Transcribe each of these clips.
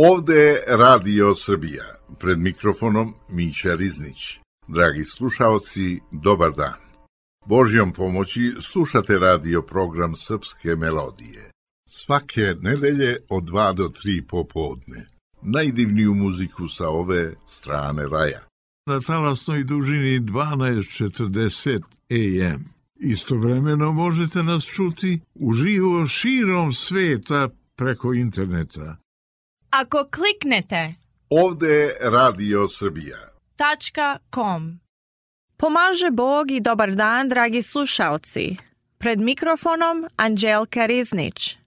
Ovde je Radio Srbija, pred mikrofonom Mića Riznić. Dragi slušaoci, dobar dan. Božjom pomoći slušate radio program Srpske melodije. Svake nedelje od 2 do 3 popodne. Najdivniju muziku sa ove strane raja. Na talasnoj dužini 1240 AM. Istovremeno možete nas čuti uživo širom sveta preko interneta. Ako kliknete Ovde je Radio Srbija. .com. Pomaže Bog i dobar dan, dragi slušaoci. Pred mikrofonom Anđelka Riznić.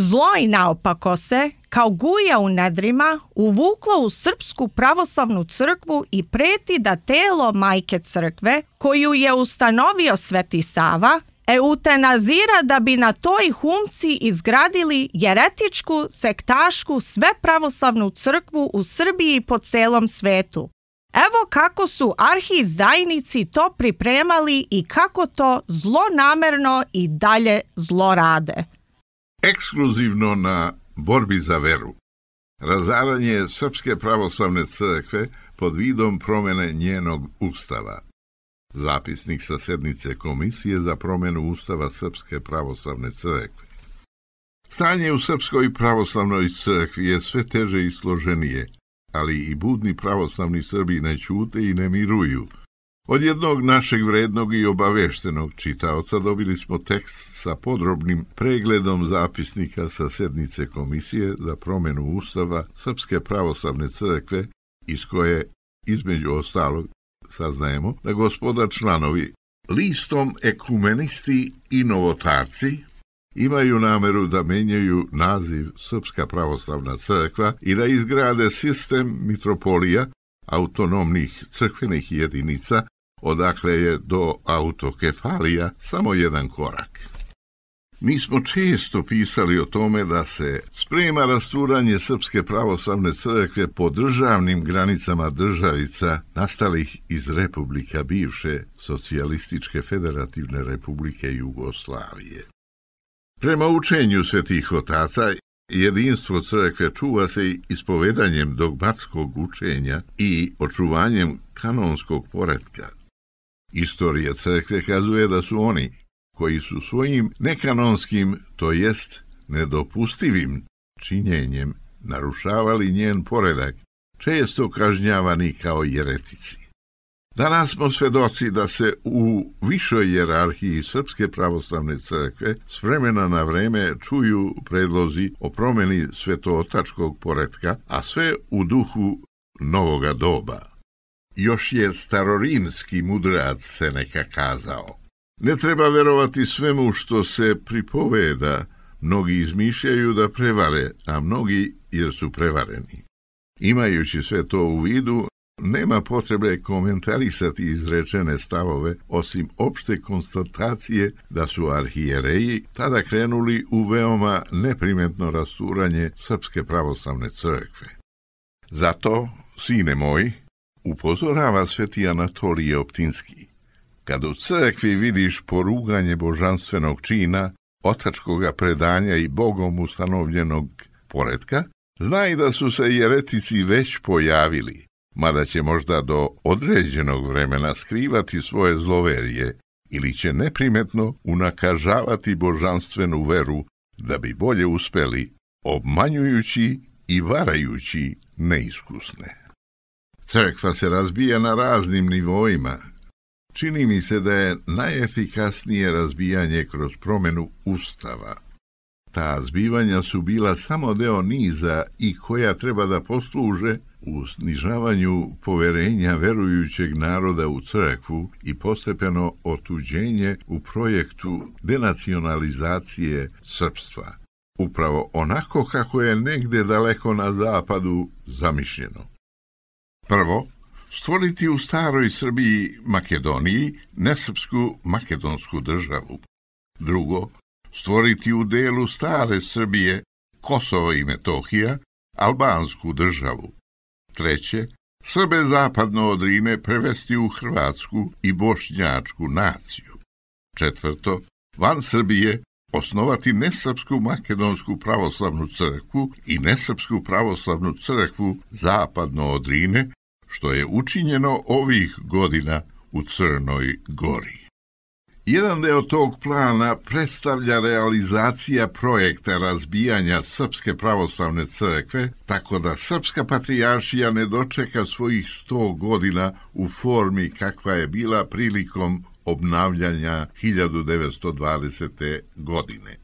Zlo i naopako se, kao guja u nedrima, uvuklo u Srpsku pravoslavnu crkvu i preti da telo majke crkve, koju je ustanovio Sveti Sava, eutanazira da bi na toj humci izgradili jeretičku, sektašku, svepravoslavnu crkvu u Srbiji i po celom svetu. Evo kako su arhiizdajnici to pripremali i kako to zlonamerno i dalje zlorade. Ekskluzivno na borbi za veru. Razaranje Srpske pravoslavne crkve pod vidom promjene njenog ustava. Zapisnik sa sednice Komisije za promjenu ustava Srpske pravoslavne crkve. Stanje u Srpskoj pravoslavnoj crkvi je sve teže i složenije, ali i budni pravoslavni Srbi ne ćute i ne miruju. Od jednog našeg vrednog i obaveštenog čitaoca dobili smo tekst sa podrobnim pregledom zapisnika sa sednice Komisije za promjenu ustava Srpske pravoslavne crkve, iz koje, između ostalog, saznajemo da gospoda članovi listom ekumenisti i novotarci imaju nameru da menjaju naziv Srpska pravoslavna crkva i da izgrade sistem mitropolija, autonomnih crkvenih jedinica, odakle je do autokefalija samo jedan korak. Mi smo često pisali o tome da se sprema rasturanje Srpske pravoslavne crkve po državnim granicama državica nastalih iz republika bivše Socijalističke federativne republike Jugoslavije. Prema učenju svetih otaca, jedinstvo crkve čuva se ispovedanjem dogmatskog učenja i očuvanjem kanonskog poretka. Istorija crkve kazuje da su oni, koji su svojim nekanonskim, to jest nedopustivim činjenjem narušavali njen poredak, često kažnjavani kao jeretici. Danas smo svedoci da se u višoj jerarhiji Srpske pravoslavne crkve s vremena na vreme čuju predlozi o promjeni svetootačkog poretka, a sve u duhu novoga doba. Još je starorimski mudrac Seneka kazao: ne treba verovati svemu što se pripoveda, mnogi izmišljaju da prevare, a mnogi jer su prevareni. Imajući sve to u vidu, nema potrebe komentarisati izrečene stavove, osim opšte konstatacije da su arhijereji tada krenuli u veoma neprimetno rasturanje Srpske pravoslavne crkve. Zato, sine moj, upozorava sveti Anatolije Optinski: kad u crkvi vidiš poruganje božanstvenog čina, otačkoga predanja i Bogom ustanovljenog poretka, znaj da su se jeretici već pojavili, mada će možda do određenog vremena skrivati svoje zloverije ili će neprimetno unakažavati božanstvenu veru da bi bolje uspeli, obmanjujući i varajući neiskusne. Crkva se razbija na raznim nivoima. Čini mi se da je najefikasnije razbijanje kroz promjenu ustava. Ta zbivanja su bila samo deo niza i koja treba da posluže u snižavanju poverenja verujućeg naroda u crkvu i postepeno otuđenje u projektu denacionalizacije srpstva, upravo onako kako je negde daleko na zapadu zamišljeno. Prvo, stvoriti u staroj Srbiji Makedoniji nesrpsku makedonsku državu. Drugo, stvoriti u delu stare Srbije, Kosovo i Metohija, albansku državu. Treće, Srbe zapadno od Drine prevesti u hrvatsku i bošnjačku naciju. Četvrto, van Srbije osnovati nesrpsku makedonsku pravoslavnu crkvu i nesrpsku pravoslavnu crkvu zapadno od Drine, što je učinjeno ovih godina u Crnoj Gori. Jedan deo tog plana predstavlja realizacija projekta razbijanja Srpske pravoslavne crkve, tako da Srpska patrijaršija ne dočeka svojih 100 godina u formi kakva je bila prilikom obnavljanja 1920. godine.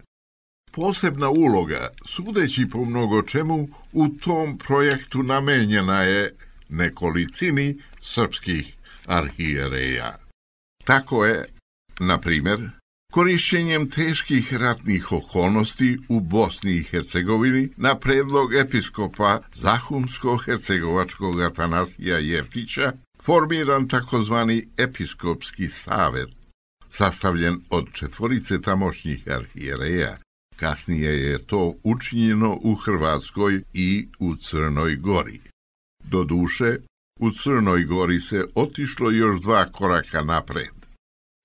Posebna uloga, sudeći po mnogo čemu, u tom projektu namenjena je nekolicini srpskih arhijereja. Tako je, na primjer, korišćenjem teških ratnih okolnosti u Bosni i Hercegovini na predlog episkopa Zahumsko-hercegovačkog Atanasija Jeftića formiran takozvani episkopski savet, sastavljen od 4 tamošnjih arhijereja. Kasnije je to učinjeno u Hrvatskoj i u Crnoj Gori. Doduše, u Crnoj Gori se otišlo još 2 koraka napred.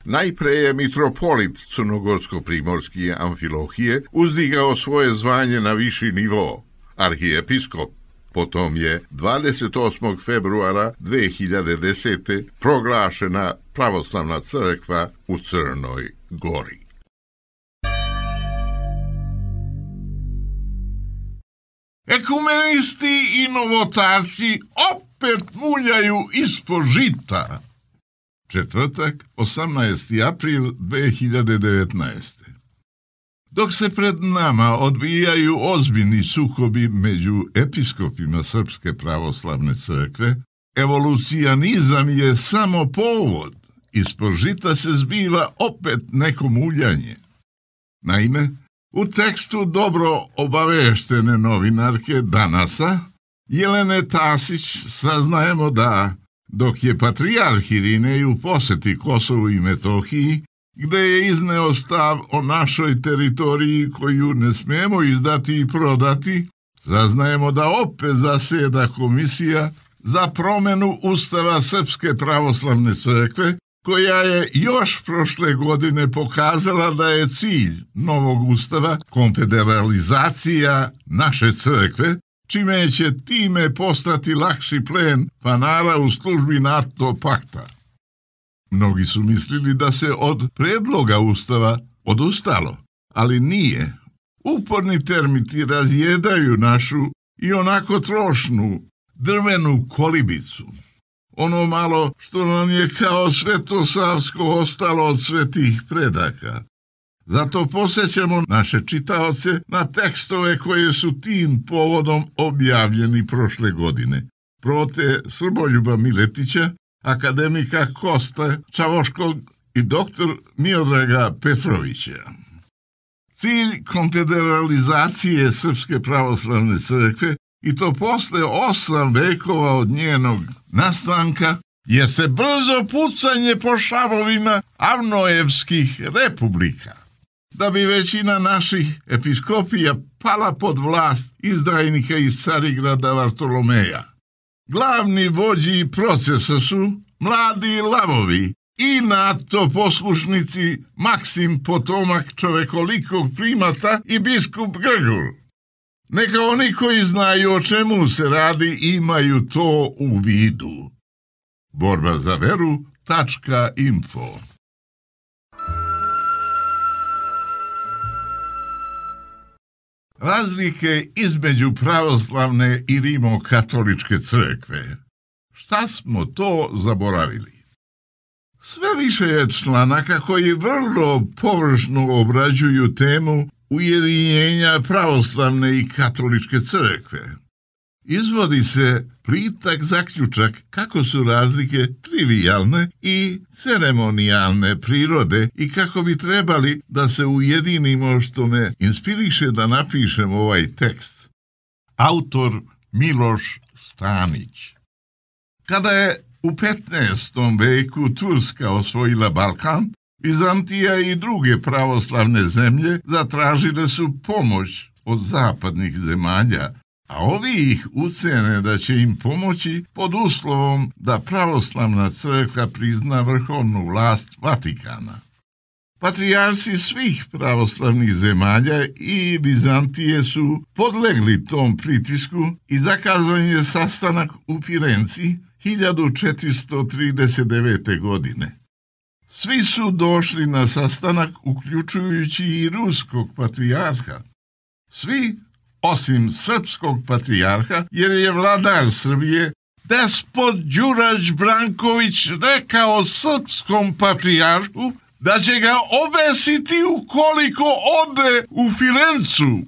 Najpre je mitropolit crnogorsko-primorski Amfilohije uzdigao svoje zvanje na viši nivo, arhijepiskop. Potom je 28. februara 2010. proglašena pravoslavna crkva u Crnoj Gori. Ekumenisti i novotarci opet muljaju ispod žita. Četvrtak, 18. april 2019. Dok se pred nama odvijaju ozbiljni sukobi među episkopima Srpske pravoslavne crkve, evolucionizam je samo povod. Ispod žita se zbiva opet neko muljanje. Naime, u tekstu dobro obaveštene novinarke Danasa, Jelene Tasić, saznajemo da, dok je patrijarh Irinej u poseti Kosovu i Metohiji, gde je izneo stav o našoj teritoriji koju ne smijemo izdati i prodati, saznajemo da opet zaseda komisija za promjenu Ustava Srpske pravoslavne crkve, koja je još prošle godine pokazala da je cilj novog ustava konfederalizacija naše crkve, čime će time postati lakši plen panara u službi NATO pakta. Mnogi su mislili da se od predloga ustava odustalo, ali nije. Uporni termiti razjedaju našu i onako trošnu drvenu kolibicu. Ono malo što nam je kao svetosavsko ostalo od svetih predaka. Zato posjećamo naše čitaoce na tekstove koje su tim povodom objavljeni prošle godine. Prote Srboljuba Miletića, akademika Kosta Čavoškog i doktor Miodraga Petrovića. Cilj konfederalizacije Srpske pravoslavne crkve, i to posle 8 vekova od njenog nastanka, je se brzo pucanje po šavovima avnojevskih republika, da bi većina naših episkopija pala pod vlast izdajnika iz Carigrada Vartolomeja. Glavni vođi procesa su mladi lavovi i NATO poslušnici Maksim potomak čovekolikog primata i biskup Grgur. Neka oni koji znaju o čemu se radi imaju to u vidu. borbazaveru.info Razlike između pravoslavne i rimokatoličke crkve. Šta smo to zaboravili? Sve više je članaka koji vrlo površno obrađuju temu ujedinjenja pravoslavne i katoličke crkve. Izvodi se plitak zaključak kako su razlike trivijalne i ceremonijalne prirode i kako bi trebali da se ujedinimo, što me inspiriše da napišem ovaj tekst. Autor Miloš Stanić. Kada je u 15. veku Turska osvojila Balkan, Bizantija i druge pravoslavne zemlje zatražile su pomoć od zapadnih zemalja, a ovi ih ucene da će im pomoći pod uslovom da pravoslavna crkva prizna vrhovnu vlast Vatikana. Patrijarsi svih pravoslavnih zemalja i Bizantije su podlegli tom pritisku i zakazan je sastanak u Firenci 1439. godine. Svi su došli na sastanak, uključujući i ruskog patrijarha. Svi, osim srpskog patrijarha, jer je vladar Srbije, despot Đurađ Branković, rekao srpskom patrijarhu da će ga obesiti ukoliko ode u Firencu.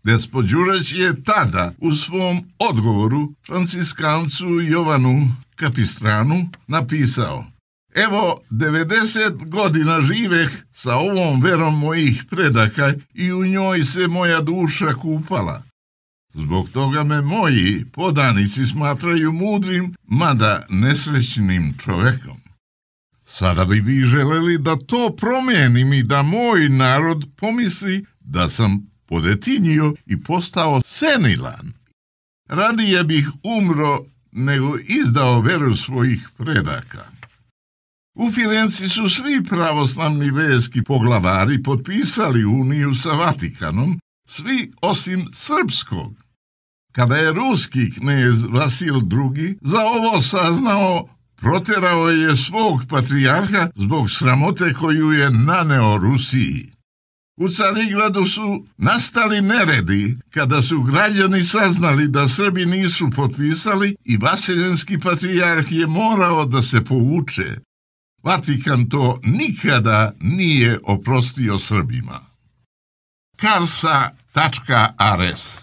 Despot Đurađ je tada u svom odgovoru franciskancu Jovanu Kapistranu napisao: evo, 90 godina živeh sa ovom verom mojih predaka i u njoj se moja duša kupala. Zbog toga me moji podanici smatraju mudrim, mada nesrećnim čovekom. Sada bi vi želeli da to promijenim i da moj narod pomisli da sam podetinio i postao senilan. Radije bih umro nego izdao veru svojih predaka. U Firenci su svi pravoslavni verski poglavari potpisali uniju sa Vatikanom, svi osim srpskog. Kada je ruski knez Vasil II za ovo saznao, proterao je svog patrijarha zbog sramote koju je naneo Rusiji. U Carigradu su nastali neredi kada su građani saznali da Srbi nisu potpisali i vaseljenski patrijarh je morao da se povuče. Vatikan to nikada nije oprostio Srbima. Karsa.ares.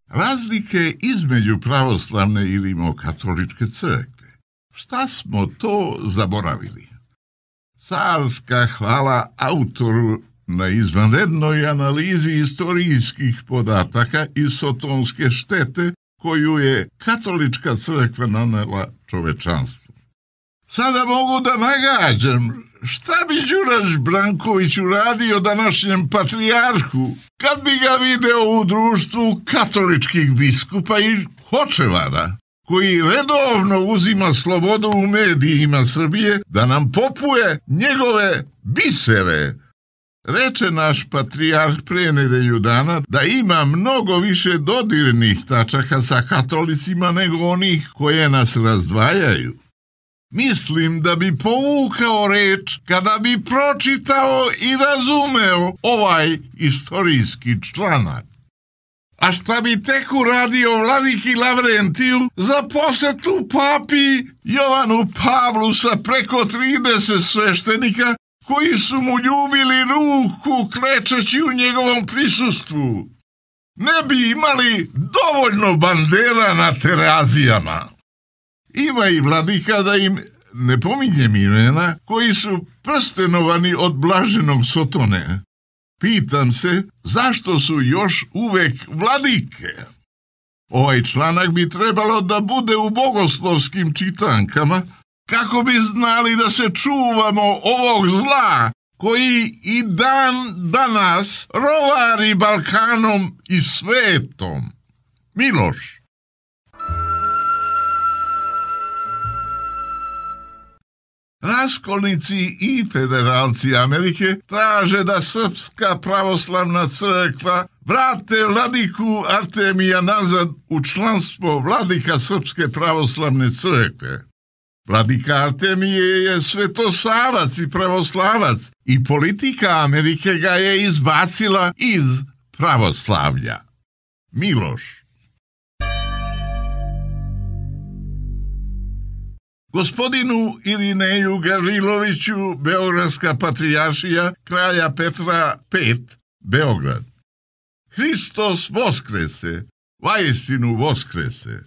Razlike između pravoslavne i rimokatoličke crkve. Šta smo to zaboravili? Carska hvala autoru na izvanrednoj analizi istorijskih podataka i sotonske štete koju je katolička crkva nanela čovečanstvu. Sada mogu da nagađam šta bi Đurađ Branković uradio današnjem patrijarhu kad bi ga video u društvu katoličkih biskupa i hočevara, koji redovno uzima slobodu u medijima Srbije da nam popuje njegove bisere. Reče naš patrijarh pre nedelju dana da ima mnogo više dodirnih tačaka sa katolicima nego onih koje nas razdvajaju. Mislim da bi povukao reč kada bi pročitao i razumeo ovaj istorijski članak. A šta bi tek uradio vladiki Lavrentiju za posetu papi Jovanu Pavlu sa preko 30 sveštenika koji su mu ljubili ruku klečeći u njegovom prisustvu? Ne bi imali dovoljno bandera na terazijama. Ima i vladika, da im ne pominjem imena, koji su prstenovani od blaženog Sotone. Pitam se zašto su još uvek vladike. Ovaj članak bi trebalo da bude u bogoslovskim čitankama, kako bi znali da se čuvamo ovog zla koji i dan danas rovari Balkanom i svetom. Miloš. Raskolnici i federalci Amerike traže da Srpska pravoslavna crkva vrate vladiku Artemija nazad u članstvo vladika Srpske pravoslavne crkve. Vladika Artemije je svetosavac i pravoslavac i politika Amerike ga je izbacila iz pravoslavlja. Miloš. Gospodinu Irineju Gavriloviću, Beogradska patrijaršija kralja Petra V, Beograd. Hristos voskrese, vaistinu voskrese.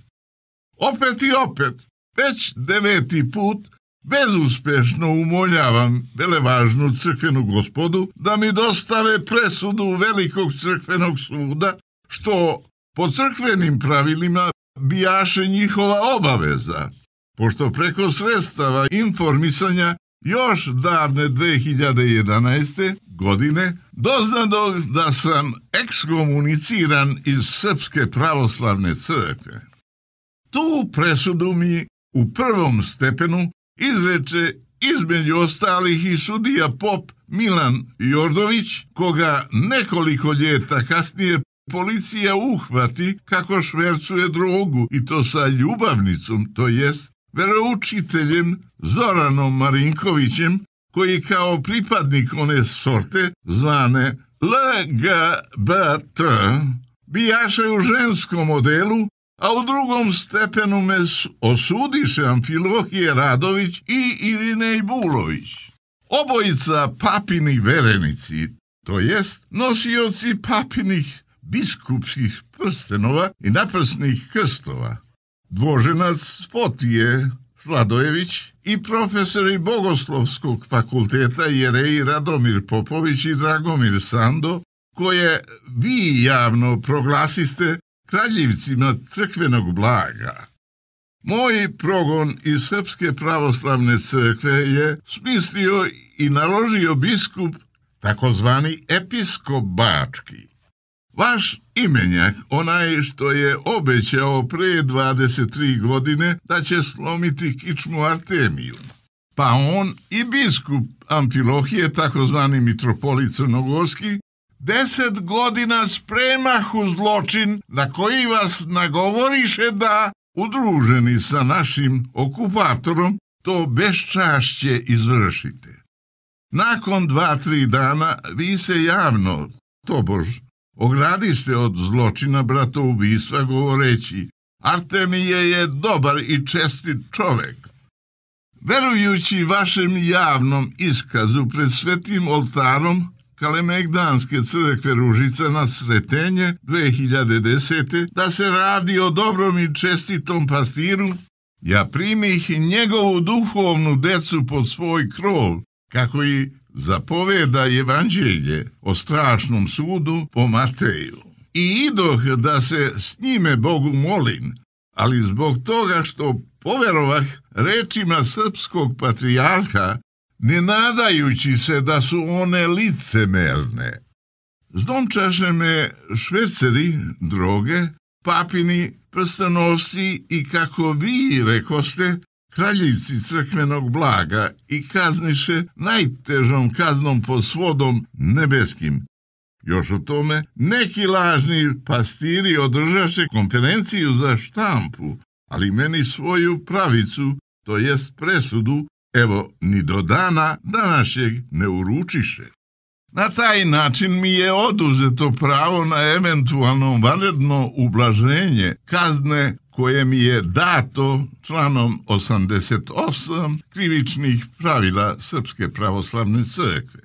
Opet i opet, već 9. put, bezuspešno umoljavam velevažnu crkvenu gospodu da mi dostave presudu Velikog crkvenog suda, što po crkvenim pravilima bijaše njihova obaveza, pošto preko sredstava informisanja još davne 2011. godine doznadoh da sam ekskomuniciran iz Srpske pravoslavne crkve. Tu presudu mi u prvom stepenu izreče između ostalih i sudija pop Milan Jordović, koga nekoliko ljeta kasnije policija uhvati kako švercuje drogu, i to sa ljubavnicom, to jest veroučiteljem Zoranom Marinkovićem, koji kao pripadnik one sorte zvane LGBT bijaše u ženskom modelu, a u drugom stepenu me osudiše Amfilohije Radović i Irinej Bulović. Obojica papini verenici, to jest nosioci papinih biskupskih prstenova i naprsnih krstova. Dvoženac Fotije Sladojević i profesori Bogoslovskog fakulteta Jerej Radomir Popović i Dragomir Sando, koje vi javno proglasiste kraljevcima crkvenog blaga. Moj progon iz Srpske pravoslavne crkve je smislio i naložio biskup, takozvani episkop Bački. Vaš imenjak, onaj što je obećao pre 23 godine da će slomiti kičmu Artemiju. Pa on i biskup Amfilohije, takozvani mitropolit Crnogorski, 10 godina spremahu zločin na koji vas nagovoriše da, udruženi sa našim okupatorom, to beščašće izvršite. Nakon 2-3 dana vi se javno, tobož, ogradiste od zločina bratoubistva govoreći: Artemije je dobar i čestit čovek. Verujući vašem javnom iskazu pred svetim oltarom Kalemegdanske crkve Ružica na Sretenje 2010. da se radi o dobrom i čestitom pastiru, ja primih njegovu duhovnu decu pod svoj krov, kako i zapoveda evanđelje o strašnom sudu po Mateju. I idoh da se s njime Bogu molim, ali zbog toga što poverovah rečima srpskog patrijarha, ne nadajući se da su one licemerne. Zdomčaše me šverceri droge, papini prstanosci i, kako vi rekoste, kraljici crkvenog blaga, i kazniše najtežom kaznom pod svodom nebeskim. Još o tome neki lažni pastiri održaše konferenciju za štampu, ali meni svoju pravicu, to jest presudu, evo ni do dana današnjeg ne uručiše. Na taj način mi je oduzeto pravo na eventualno vanredno ublaženje kazne koje mi je dato članom 88 krivičnih pravila Srpske pravoslavne crkve.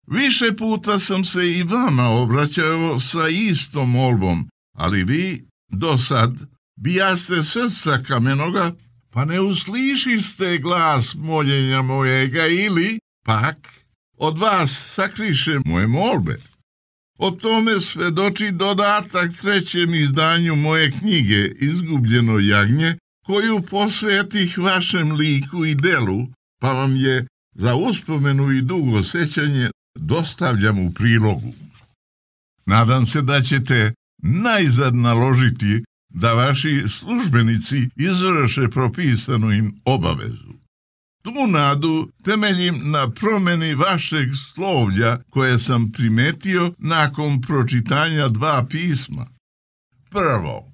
Više puta sam se i vama obraćao sa istom molbom, ali vi do sad bijaste srca kamenoga, pa ne uslišiste glas moljenja mojega, ili pak od vas sakriše moje molbe. O tome svedoči dodatak 3. izdanju moje knjige Izgubljeno jagnje, koju posvetih vašem liku i delu, pa vam je za uspomenu i dugo sećanje dostavljam u prilogu. Nadam se da ćete najzad naložiti da vaši službenici izvrše propisanu im obavezu. Tu nadu temeljim na promeni vašeg slovlja koje sam primetio nakon pročitanja 2 pisma. Prvo,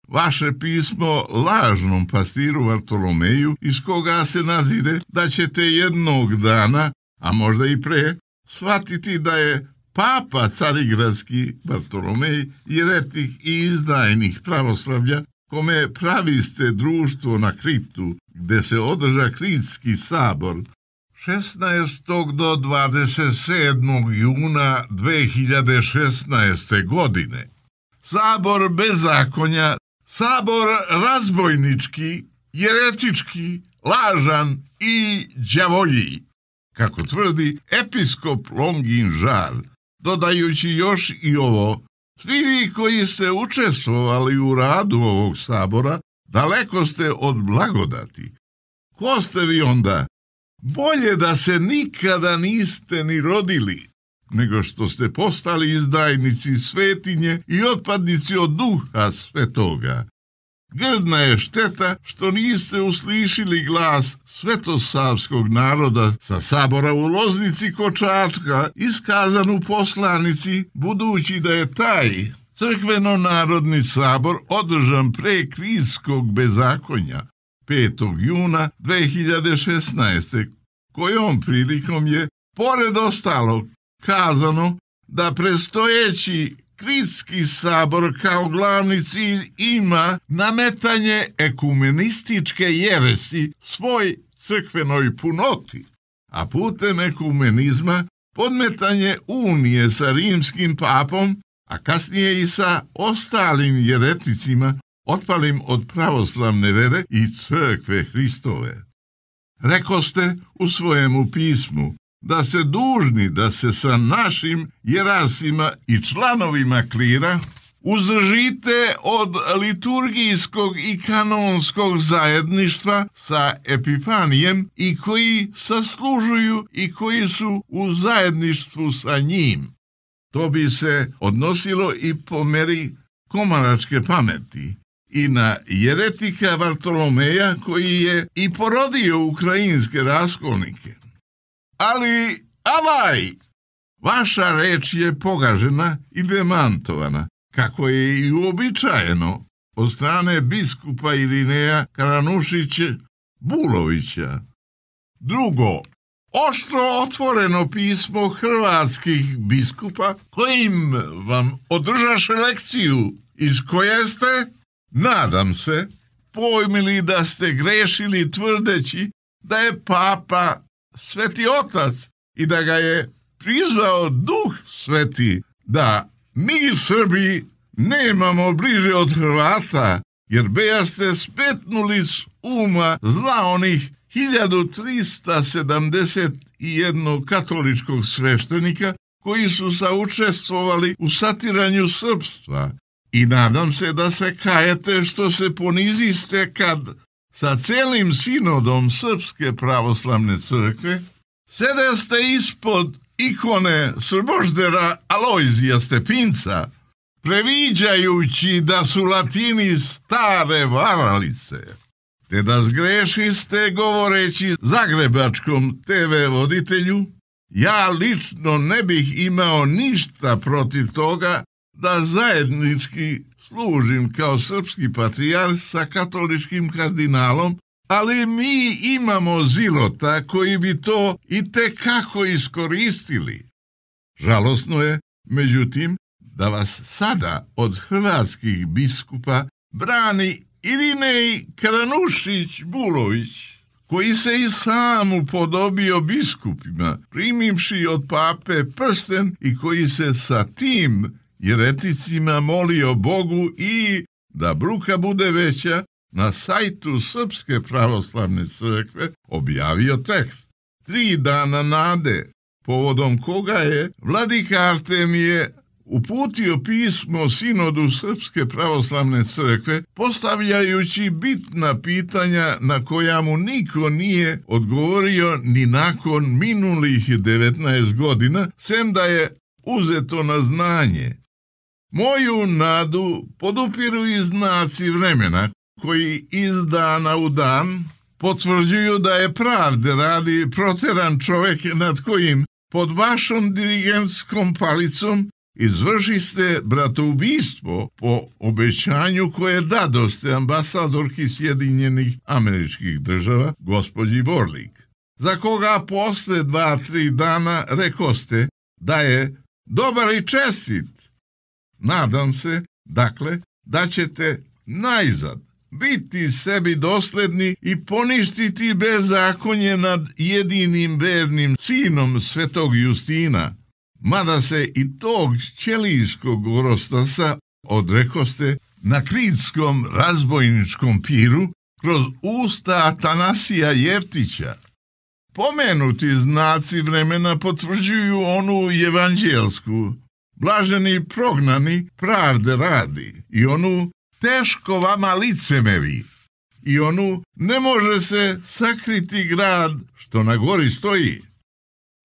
vaše pismo lažnom pastiru Vartolomeju, iz koga se nazire da ćete jednog dana, a možda i pre, shvatiti da je Papa Carigradski Vartolomej jeretik i izdajnik pravoslavlja, kome praviste društvo na kriptu gde se održa Kritski sabor 16. do 27. juna 2016. godine. Sabor bezakonja, sabor razbojnički, jeretički, lažan i đavolji, kako tvrdi episkop Longin Žar, dodajući još i ovo: svi vi koji ste učestvovali u radu ovog sabora, daleko ste od blagodati. Ko ste vi onda? Bolje da se nikada niste ni rodili, nego što ste postali izdajnici svetinje i otpadnici od Duha Svetoga. Grdna je šteta što niste uslišili glas svetosavskog naroda sa sabora u Loznici kod Čačka, iskazan u poslanici, budući da je taj crkveno-narodni sabor održan pre Kritskog bezakonja 5. juna 2016. kojom prilikom je, pored ostalog, kazano da predstojeći Kritski sabor kao glavni cilj ima nametanje ekumenističke jeresi svoj crkvenoj punoti, a putem ekumenizma podmetanje unije sa rimskim papom, a kasnije i sa ostalim jereticima otpalim od pravoslavne vere i crkve Hristove. Rekoste u svojemu pismu da ste dužni da se sa našim jerasima i članovima klira uzdržite od liturgijskog i kanonskog zajedništva sa Epifanijem i koji saslužuju i koji su u zajedništvu sa njim. To bi se odnosilo i po meri komaračke pameti i na jeretika Vartolomeja koji je i porodio ukrajinske raskolnike. Ali, avaj, vaša reč je pogažena i demantovana, kako je i uobičajeno od strane biskupa Irineja Karanušića Bulovića. Drugo, oštro otvoreno pismo hrvatskih biskupa kojim vam održaše lekciju iz koje ste, nadam se, pojmili da ste grešili tvrdeći da je papa Sveti Otac i da ga je prizvao Duh Sveti, da mi Srbi nemamo bliže od Hrvata, jer beja ste spetnuli s uma zla onih 1371 katoličkog sveštenika koji su saučestvovali u satiranju srpstva. I nadam se da se kajete što se poniziste kad sa celim sinodom Srpske pravoslavne crkve sedeste ispod ikone Srboždera Alojzija Stepinca, previđajući da su Latini stare varalice, te da zgrešiste govoreći zagrebačkom TV voditelju: ja lično ne bih imao ništa protiv toga da zajednički služim kao srpski patrijarh sa katoličkim kardinalom, ali mi imamo zilota koji bi to i tekako iskoristili. Žalosno je, međutim, da vas sada od hrvatskih biskupa brani Irinej Karanušić Bulović, koji se i sam upodobio biskupima, primivši od pape prsten i koji se sa tim jereticima molio Bogu i, da bruka bude veća, na sajtu Srpske pravoslavne crkve objavio tekst 3 dana nade, povodom koga je vladika Artemije uputio pismo sinodu Srpske pravoslavne crkve, postavljajući bitna pitanja na koja mu niko nije odgovorio ni nakon minulih 19 godina, sem da je uzeto na znanje. Moju nadu podupiru i znaci vremena koji iz dana u dan potvrđuju da je pravde radi proteran čovek nad kojim pod vašom dirigentskom palicom izvršiste bratoubistvo po obećanju koje dadoste ambasadorki Sjedinjenih Američkih Država, gospođi Borlik, za koga posle 2-3 dana rekoste da je dobar i čestit. Nadam se, dakle, da ćete najzad biti sebi dosledni i poništiti bezakonje nad jedinim vernim sinom svetog Justina, mada se i tog ćelijskog orostasa odrekoste na kritskom razbojničkom piru kroz usta Atanasija Jeftića. Pomenuti znaci vremena potvrđuju onu evanđelsku, blaženi prognani pravde radi, i onu teško vama licemeri, i onu ne može se sakriti grad što na gori stoji.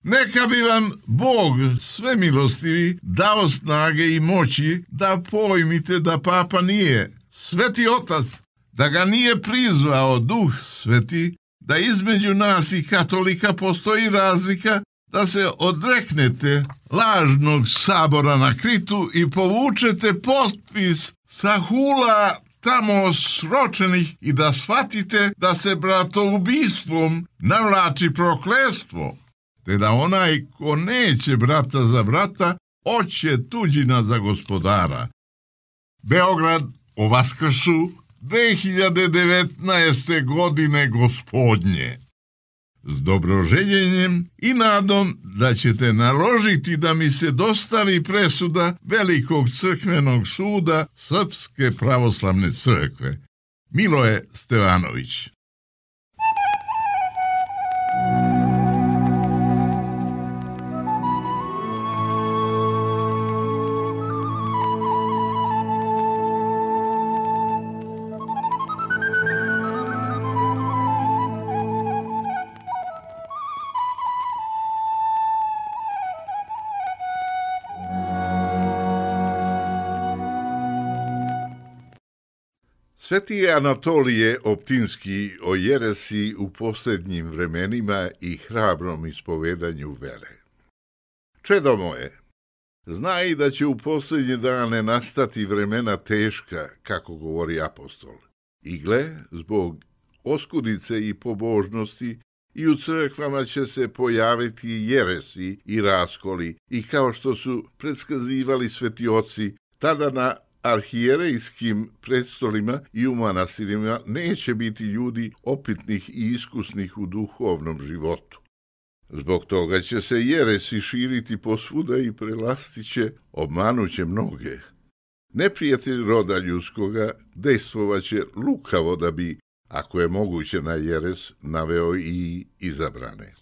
Neka bi vam Bog svemilostivi dao snage i moći da pojmite da papa nije sveti otac, da ga nije prizvao Duh Sveti, da između nas i katolika postoji razlika, da se odreknete lažnog sabora na Kritu i povučete potpis sa hula tamo sročenih i da shvatite da se bratoubistvom navlači prokletstvo, te da onaj ko neće brata za brata, oće tuđina za gospodara. Beograd o Vaskrsu 2019. godine gospodnje. S dobroželjenjem i nadom da ćete naložiti da mi se dostavi presuda Velikog crkvenog suda Srpske pravoslavne crkve. Miloje Stevanović. Sveti Anatolije Optinski o jeresi u posljednjim vremenima i hrabrom ispovedanju vere. Čedo moje, znaj da će u posljednje dane nastati vremena teška, kako govori apostol. I gle, zbog oskudice i pobožnosti, i u crkvama će se pojaviti jeresi i raskoli, i kao što su predskazivali sveti oci, tada na arhijerejskim predstolima i u manastirima neće biti ljudi opitnih i iskusnih u duhovnom životu. Zbog toga će se jeresi širiti posvuda i prelastiće, obmanuće mnoge. Neprijatelj roda ljudskoga dejstvovaće lukavo da bi, ako je moguće na jeres, naveo i izabrane.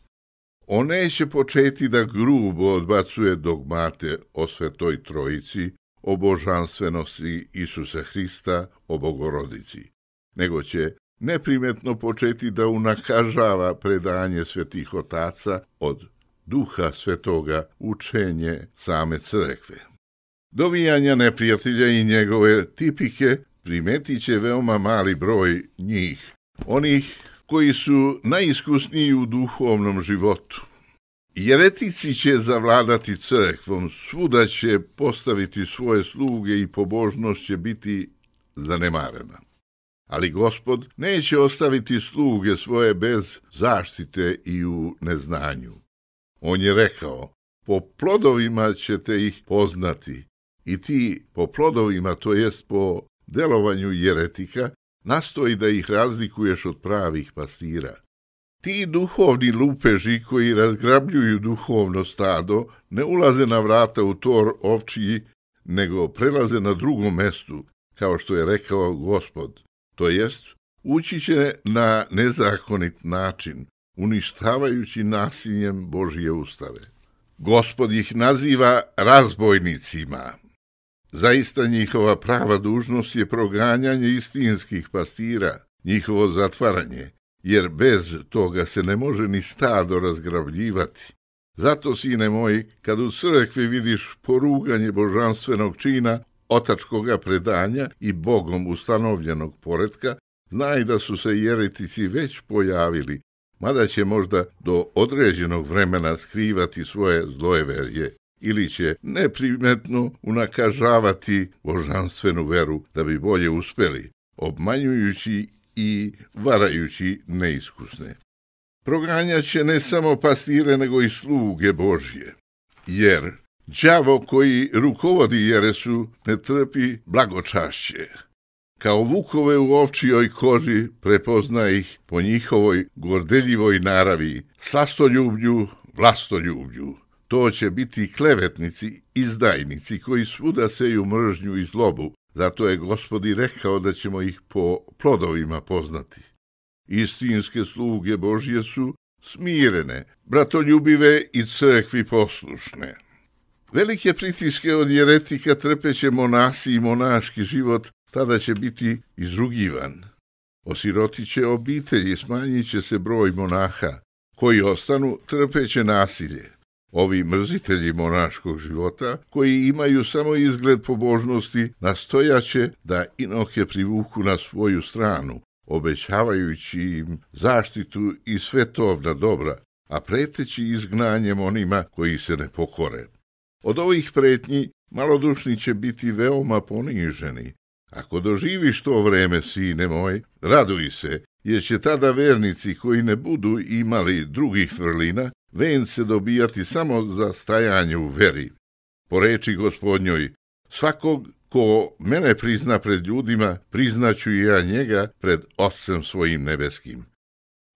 On neće početi da grubo odbacuje dogmate o Svetoj Trojici, o božanstvenosti Isusa Hrista, o Bogorodici, nego će neprimetno početi da unakažava predanje svetih otaca od Duha Svetoga, učenje same crkve. Dovijanja neprijatelja i njegove tipike primetit će veoma mali broj njih, onih koji su najiskusniji u duhovnom životu. Jeretici će zavladati crkvom, svuda će postaviti svoje sluge i pobožnost će biti zanemarena. Ali Gospod neće ostaviti sluge svoje bez zaštite i u neznanju. On je rekao, po plodovima ćete ih poznati, i ti po plodovima, to jest po delovanju jeretika, nastoji da ih razlikuješ od pravih pastira. Ti duhovni lupeži koji razgrabljuju duhovno stado ne ulaze na vrata u tor ovčiji, nego prelaze na drugom mestu, kao što je rekao Gospod. To jest, ući će na nezakonit način, uništavajući nasiljem Božje ustave. Gospod ih naziva razbojnicima. Zaista njihova prava dužnost je proganjanje istinskih pastira, njihovo zatvaranje, jer bez toga se ne može ni stado razgrabljivati. Zato, sine moji, kad u crkvi vidiš poruganje božanstvenog čina, otačkoga predanja i Bogom ustanovljenog poretka, znaj da su se jeretici već pojavili, mada će možda do određenog vremena skrivati svoje zlojeverje ili će neprimetno unakažavati božanstvenu veru da bi bolje uspeli, obmanjujući i varajući neiskusne. Proganjaće ne samo pastire, nego i sluge Božje, jer đavo koji rukovodi jeresu ne trpi blagočašće. Kao vukove u ovčijoj koži prepozna ih po njihovoj gordeljivoj naravi, slastoljublju, vlastoljublju. To će biti klevetnici, izdajnici koji svuda seju mržnju i zlobu. Zato je Gospod i rekao da ćemo ih po plodovima poznati. Istinske sluge Božje su smirene, bratoljubive i crkvi poslušne. Velike pritiske od jeretika trpeće monasi i monaški život, tada će biti izrugivan. Osirotit će obitelji, smanjit će se broj monaha, koji ostanu trpeće nasilje. Ovi mrzitelji monaškog života, koji imaju samo izgled pobožnosti, nastojaće da inohe privuku na svoju stranu, obećavajući im zaštitu i svetovna dobra, a preteći izgnanjem onima koji se ne pokore. Od ovih pretnji malodušni će biti veoma poniženi. Ako doživiš to vreme, sine moj, raduj se, jer će tada vernici koji ne budu imali drugih vrlina, vence dobijati samo za stajanje u veri. Po reči Gospodnjoj, svakog ko mene prizna pred ljudima, priznaću i ja njega pred Otcem svojim nebeskim.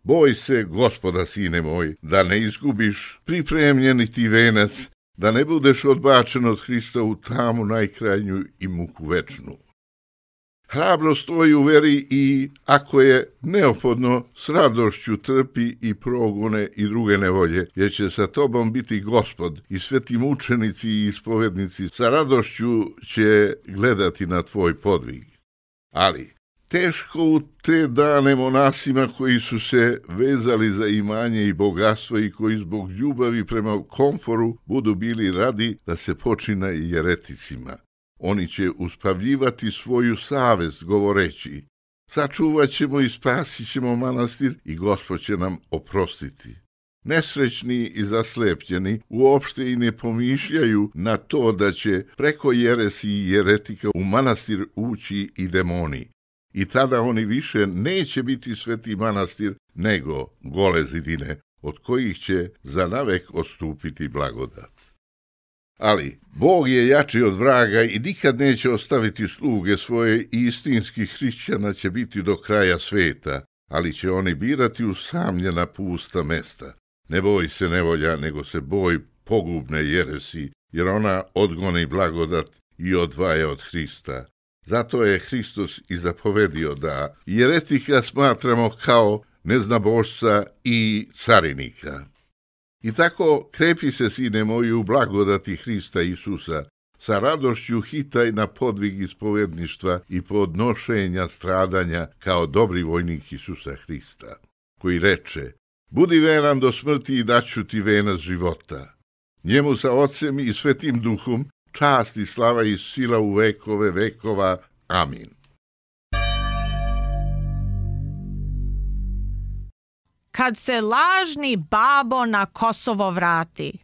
Boj se Gospoda, sine moj, da ne izgubiš pripremljeni ti venac, da ne budeš odbačen od Hrista u tamu najkrajnju i muku večnu. Hrabro stoji u veri i, ako je neophodno, s radošću trpi i progone i druge nevolje, jer će sa tobom biti Gospod i sveti mučenici i ispovednici sa radošću će gledati na tvoj podvig. Ali teško u te dane monasima koji su se vezali za imanje i bogatstvo i koji zbog ljubavi prema komforu budu bili radi da se počina i jereticima. Oni će uspavljivati svoju savest govoreći, sačuvat ćemo i spasit ćemo manastir i Gospod će nam oprostiti. Nesrećni i zaslepljeni uopšte i ne pomišljaju na to da će preko jeresi i jeretika u manastir ući i demoni. I tada oni više neće biti sveti manastir, nego gole zidine, od kojih će zanavek odstupiti blagodat. Ali Bog je jači od vraga i nikad neće ostaviti sluge svoje i istinskih hrišćana će biti do kraja sveta, ali će oni birati usamljena pusta mesta. Ne boj se nevolja, nego se boj pogubne jeresi, jer ona odgoni blagodat i odvaja od Hrista. Zato je Hristos i zapovedio da jeretika smatramo kao neznabošca i carinika. I tako krepi se, sine moji, u blagodati Hrista Isusa, sa radošću hitaj na podvig ispovedništva i podnošenja stradanja kao dobri vojnik Isusa Hrista, koji reče, budi veran do smrti i daću ti venac života. Njemu sa Otcem i Svetim Duhom čast i slava i sila u vekove vekova. Amin. Kad se lažni babo na Kosovo vrati.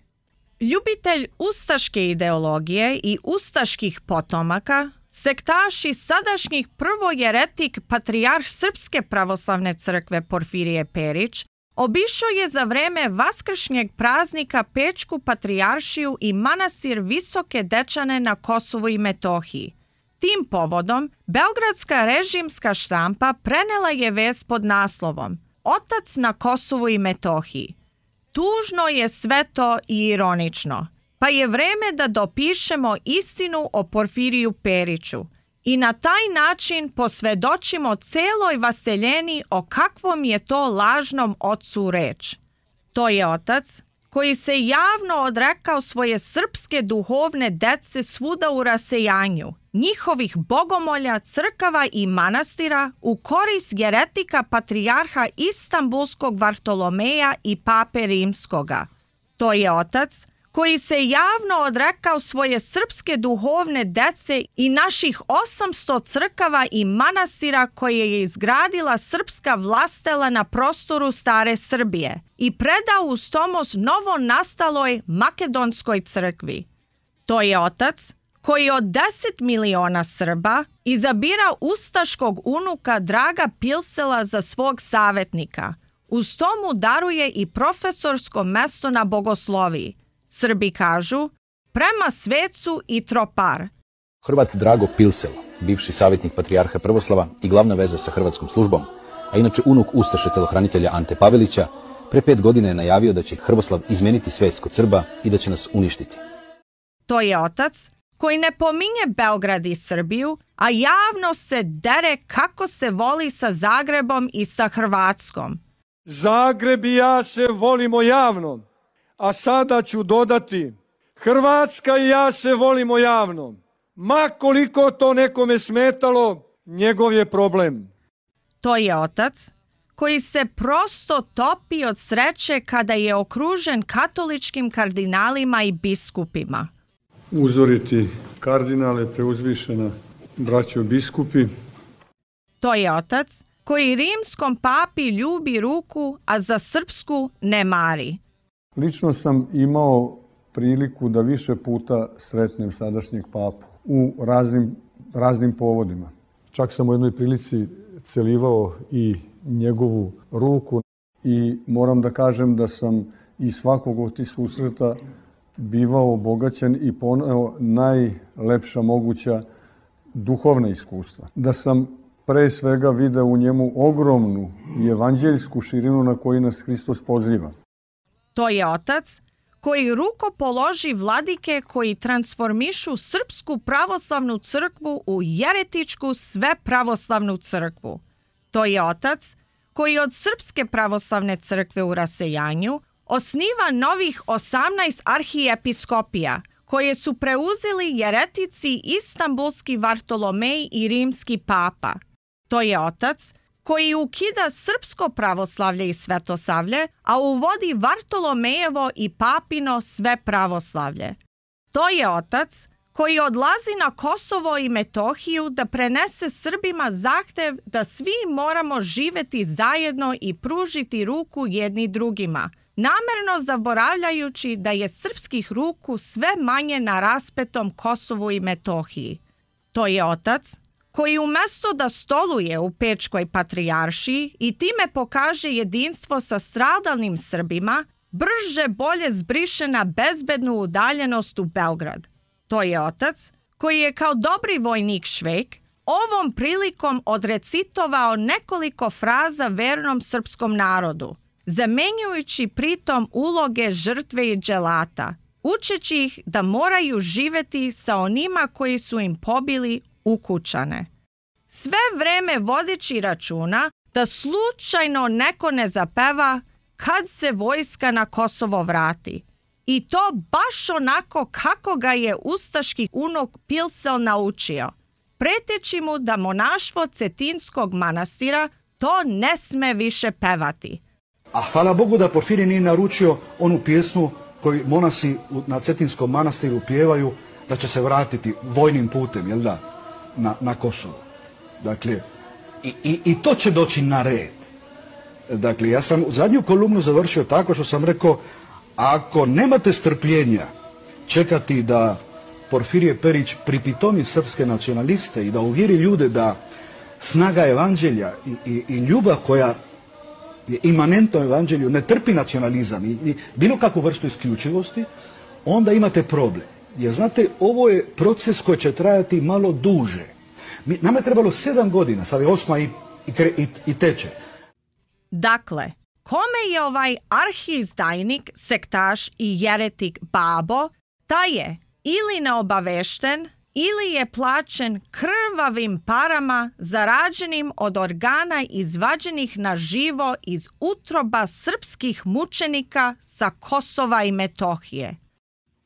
Ljubitelj ustaške ideologije i ustaških potomaka, sektaš i sadašnjih prvojeretik patrijarh Srpske pravoslavne crkve Porfirije Perić, obišao je za vreme vaskršnjeg praznika Pečku patrijaršiju i manastir Visoke Dečane na Kosovu i Metohiji. Tim povodom, beogradska režimska štampa prenela je vest pod naslovom Otac na Kosovu i Metohiji. Tužno je sve to i ironično, pa je vreme da dopišemo istinu o Porfiriju Periću i na taj način posvedočimo celoj vaseljeni o kakvom je to lažnom ocu reč. To je otac koji se javno odrekao svoje srpske duhovne dece svuda u rasejanju, njihovih bogomolja, crkava i manastira u korist jeretika patrijarha Istanbulskog Vartolomeja i pape Rimskoga. To je otac koji se javno odrekao svoje srpske duhovne dece i naših 800 crkava i manastira koje je izgradila srpska vlastela na prostoru stare Srbije i predao uz tomos novo nastaloj makedonskoj crkvi. To je otac koji od 10 miliona Srba izabira ustaškog unuka Draga Pilsela za svog savjetnika. Uz to mu daruje i profesorsko mesto na bogosloviji. Srbi kažu, prema svecu i tropar. Hrvat Drago Pilsel, bivši savjetnik patrijarha Prvoslava i glavna veza sa hrvatskom službom, a inače unuk ustaše telohranitelja Ante Pavelića, pre 5 godina je najavio da će Hrvoslav izmeniti svest kod Srba i da će nas uništiti. To je otac koji ne pominje Beograd i Srbiju, a javno se dere kako se voli sa Zagrebom i sa Hrvatskom. Zagreb i ja se volimo javno, a sada ću dodati, Hrvatska i ja se volimo javno. Ma koliko to nekome smetalo, njegov je problem. To je otac koji se prosto topi od sreće kada je okružen katoličkim kardinalima i biskupima. Uzoriti kardinale, preuzvišena braćo biskupi. To je otac koji rimskom papi ljubi ruku, a za srpsku ne mari. Lično sam imao priliku da više puta sretnem sadašnjeg papu u raznim povodima. Čak sam u jednoj prilici celivao i njegovu ruku i moram da kažem da sam iz svakog od tih susreta bivao obogaćen i poneo najlepša moguća duhovna iskustva. Da sam pre svega video u njemu ogromnu i evanđeljsku širinu na koju nas Hristos poziva. To je otac koji rukopoloži vladike koji transformišu Srpsku pravoslavnu crkvu u jeretičku svepravoslavnu crkvu. To je otac koji od Srpske pravoslavne crkve u rasejanju osniva novih 18 arhijepiskopija, koje su preuzeli jeretici Istanbulski Vartolomej i Rimski papa. To je otac koji ukida srpsko pravoslavlje i svetosavlje, a uvodi Vartolomejevo i papino sve pravoslavlje. To je otac koji odlazi na Kosovo i Metohiju da prenese Srbima zahtev da svi moramo živeti zajedno i pružiti ruku jedni drugima, namerno zaboravljajući da je srpskih ruku sve manje na raspetom Kosovu i Metohiji. To je otac koji umesto da stoluje u Pečkoj patrijaršiji i time pokaže jedinstvo sa stradalnim Srbima, brže bolje zbriše na bezbednu udaljenost u Beograd. To je otac koji je kao dobri vojnik Švejk ovom prilikom odrecitovao nekoliko fraza vernom srpskom narodu, zamenjujući pritom uloge žrtve i dželata, učeći ih da moraju živeti sa onima koji su im pobili ukućane. Sve vreme vodeći računa da slučajno neko ne zapeva kad se vojska na Kosovo vrati. I to baš onako kako ga je ustaški unuk Pilsel naučio, preteći mu da monaštvo Cetinskog manastira to ne sme više pevati. A hvala Bogu da Porfirije nije naručio onu pjesmu koju monasi na Cetinskom manastiru pjevaju da će se vratiti vojnim putem, jel da, na Kosovo. Dakle, i to će doći na red. Dakle, ja sam zadnju kolumnu završio tako što sam rekao, ako nemate strpljenja čekati da Porfirije Perić pripitomi srpske nacionaliste i da uvjeri ljude da snaga evanđelja i ljubav koja je imanentno evanđelju ne trpi nacionalizam i bilo kakvu vrstu isključivosti, onda imate problem. Jer znate, ovo je proces koji će trajati malo duže. Nama je trebalo 7 godina, sad je 8 i teče. Dakle, kome je ovaj arhiizdajnik, sektaš i jeretik babo, taj je ili neobavešten, ili je plaćen krvavim parama zarađenim od organa izvađenih na živo iz utroba srpskih mučenika sa Kosova i Metohije.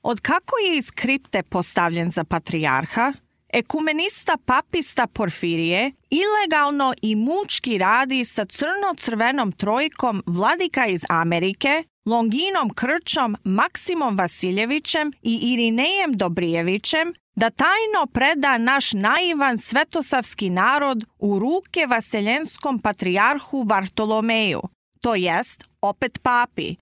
Od kako je iz kripte postavljen za patrijarha, ekumenista papista Porfirije ilegalno i mučki radi sa crno-crvenom trojkom vladika iz Amerike, Longinom Krčom, Maksimom Vasiljevićem i Irinejem Dobrijevićem, da tajno preda naš naivan svetosavski narod u ruke vaseljenskom patrijarhu Vartolomeju, to jest opet papi.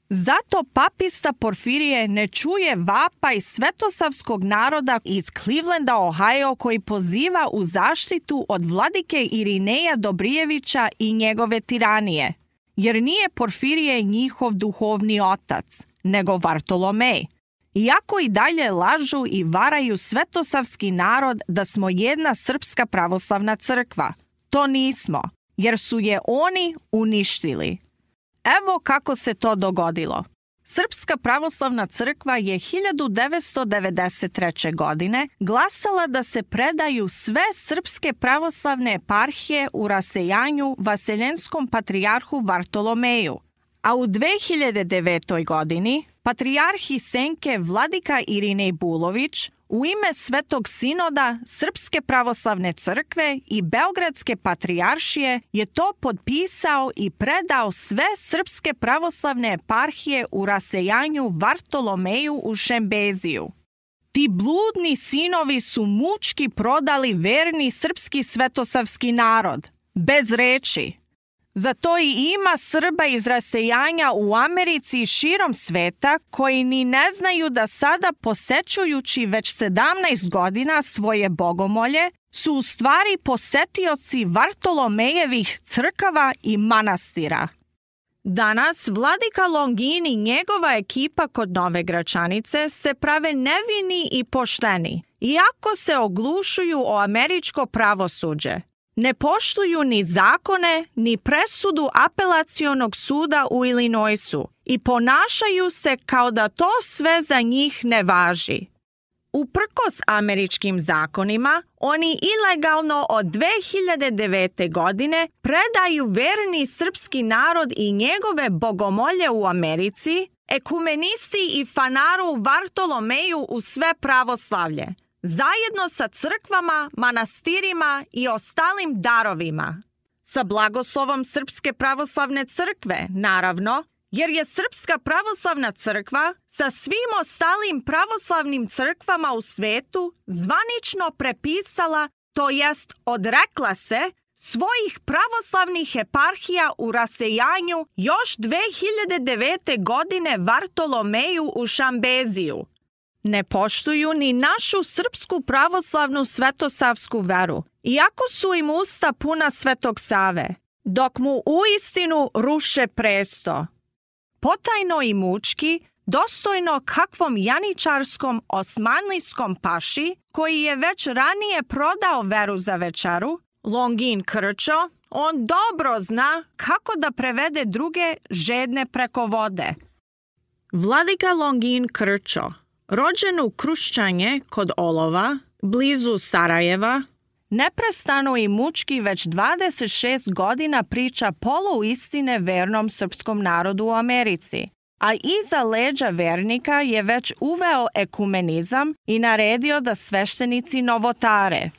Zato papista Porfirije ne čuje vapaj svetosavskog naroda iz Clevelanda, Ohio, koji poziva u zaštitu od vladike Irineja Dobrijevića i njegove tiranije, jer nije Porfirije njihov duhovni otac, nego Vartolomej. Iako i dalje lažu i varaju svetosavski narod da smo jedna srpska pravoslavna crkva. To nismo, jer su je oni uništili. Evo kako se to dogodilo. Srpska pravoslavna crkva je 1993. godine glasala da se predaju sve srpske pravoslavne eparhije u rasejanju Vaseljenskom patrijarhu Vartolomeju, a u 2009. godini patrijarhi Senke Vladika Irinej Bulović u ime Svetog sinoda Srpske pravoslavne crkve i Beogradske patrijaršije je to potpisao i predao sve srpske pravoslavne eparhije u rasejanju Vartolomeju u Šembeziju. Ti bludni sinovi su mučki prodali verni srpski svetosavski narod, bez reči. Zato i ima Srba iz rasejanja u Americi i širom sveta koji ni ne znaju da sada posećujući već 17 godina svoje bogomolje su u stvari posetioci Vartolomejevih crkava i manastira. Danas vladika Longin i njegova ekipa kod Nove Gračanice se prave nevini i pošteni, iako se oglušuju o američko pravosuđe. Ne poštuju ni zakone, ni presudu apelacionog suda u Illinoisu i ponašaju se kao da to sve za njih ne važi. Uprkos američkim zakonima, oni ilegalno od 2009. godine predaju verni srpski narod i njegove bogomolje u Americi, ekumenisti i fanaru Vartolomeju u sve pravoslavlje, zajedno sa crkvama, manastirima i ostalim darovima. Sa blagoslovom Srpske pravoslavne crkve, naravno, jer je Srpska pravoslavna crkva sa svim ostalim pravoslavnim crkvama u svetu zvanično prepisala, to jest odrekla se, svojih pravoslavnih eparhija u rasejanju još 2009. godine Vartolomeju u Šambeziju. Ne poštuju ni našu srpsku pravoslavnu svetosavsku veru, iako su im usta puna Svetog Save, dok mu uistinu ruše presto. Potajno i mučki, dostojno kakvom janičarskom osmanlijskom paši, koji je već ranije prodao veru za večeru, Longin Krčo, on dobro zna kako da prevede druge žedne preko vode. Vladika Longin Krčo, rođen u Kruščanje kod Olova, blizu Sarajeva, neprestano i mučki već 26 godina priča poluistine vernom srpskom narodu u Americi, a iza leđa vernika je već uveo ekumenizam i naredio da sveštenici novotare.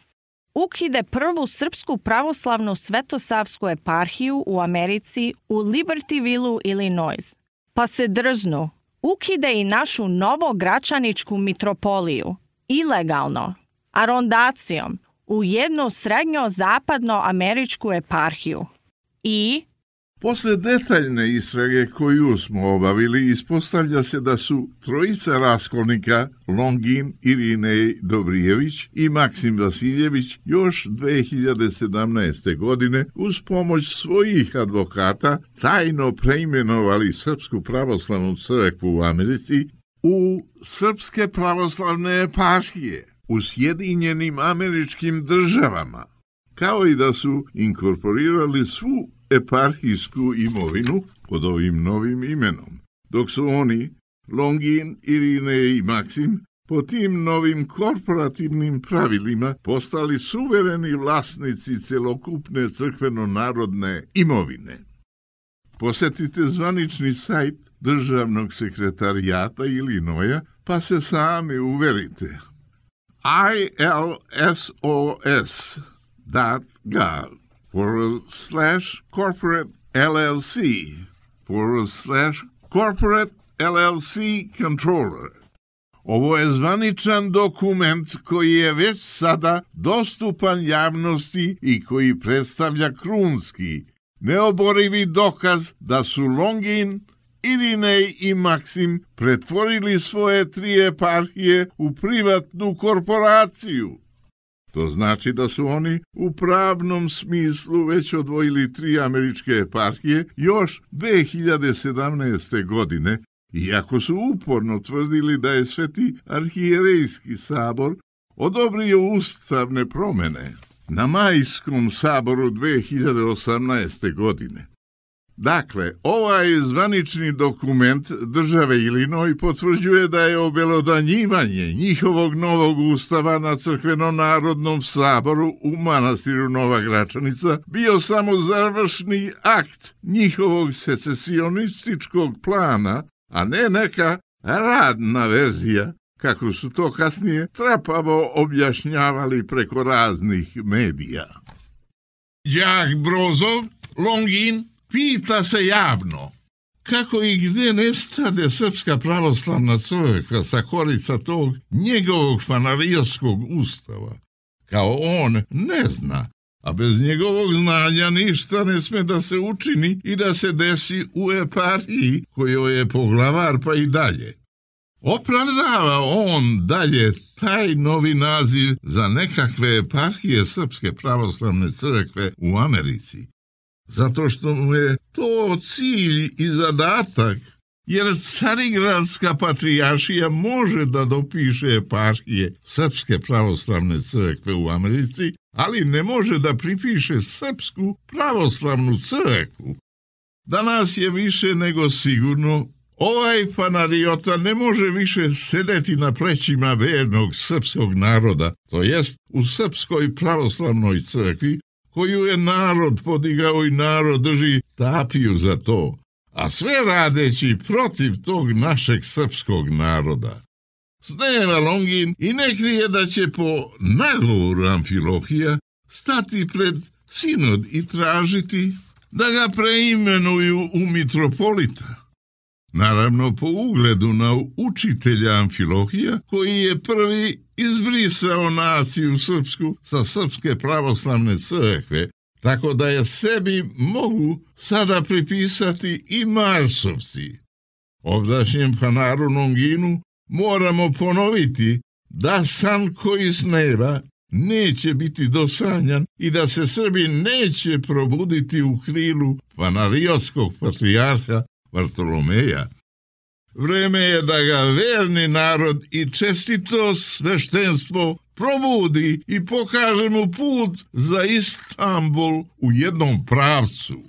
Ukide prvu srpsku pravoslavnu svetosavsku eparhiju u Americi u Libertyville, Illinois, pa se drznu. Ukide i našu novogračaničku mitropoliju, ilegalno, arondacijom, u jednu srednjo-zapadno-američku eparhiju. I posle detaljne istrage koju smo obavili, ispostavlja se da su trojica raskolnika, Longin, Irinej Dobrijević i Maksim Vasiljević, još 2017. godine uz pomoć svojih advokata tajno preimenovali Srpsku pravoslavnu crkvu u Americi u Srpske pravoslavne eparhije u Sjedinjenim Američkim Državama, kao i da su inkorporirali svu eparhijsku imovinu pod ovim novim imenom, dok su oni, Longin, Irinej i Maksim, po tim novim korporativnim pravilima postali suvereni vlasnici celokupne crkveno-narodne imovine. Posetite zvanični sajt Državnog sekretarijata Illinoisa pa se sami uverite. ilsos.gov/corporate LLC/corporate LLC controller. Ovo je zvaničan dokument koji je već sada dostupan javnosti i koji predstavlja krunski, neoborivi dokaz da su Longin, Irinej i Maksim pretvorili svoje 3 eparhije u privatnu korporaciju. To znači da su oni u pravnom smislu već odvojili 3 američke eparhije još 2017. godine iako su uporno tvrdili da je Sveti arhijerejski sabor odobrio ustavne promjene na Majskom saboru 2018. godine. Dakle, ovaj zvanični dokument države Ilinois potvrđuje da je obelodanjivanje njihovog novog ustava na crkveno-narodnom saboru u manastiru Nova Gračanica bio samo završni akt njihovog secesionističkog plana, a ne neka radna verzija, kako su to kasnije trapavo objašnjavali preko raznih medija. Đak Brozov, Longin, pita se javno kako i gdje nestade Srpska pravoslavna crkva sa korica tog njegovog fanarijskog ustava. Kao on ne zna, a bez njegovog znanja ništa ne sme da se učini i da se desi u eparhiji kojoj je poglavar pa i dalje. Opravdava on dalje taj novi naziv za nekakve eparhije Srpske pravoslavne crkve u Americi, zato što mu je to cilj i zadatak, jer Carigradska patrijaršija može da dopiše eparhije Srpske pravoslavne crkve u Americi, ali ne može da pripiše Srpsku pravoslavnu crkvu. Danas je više nego sigurno ovaj fanariota ne može više sedeti na plećima vernog srpskog naroda, to jest u Srpskoj pravoslavnoj crkvi, koju je narod podigao i narod drži tapiju za to, a sve radeći protiv tog našeg srpskog naroda. Sneva Longin i ne krije da će po nagovoru Amfilohija stati pred sinod i tražiti da ga preimenuju u mitropolita. Naravno po ugledu na učitelja Amfilohija, koji je prvi izbrisao naciju srpsku sa Srpske pravoslavne crkve, tako da je sebi mogu sada pripisati i Marsovci. Ovdašnjem fanaru Longinu moramo ponoviti da san koji sneva neće biti dosanjan i da se Srbi neće probuditi u krilu fanariotskog patrijarha Vartolomeja. Vreme je da ga verni narod i čestito sveštenstvo probudi i pokaže mu put za Istanbul u jednom pravcu.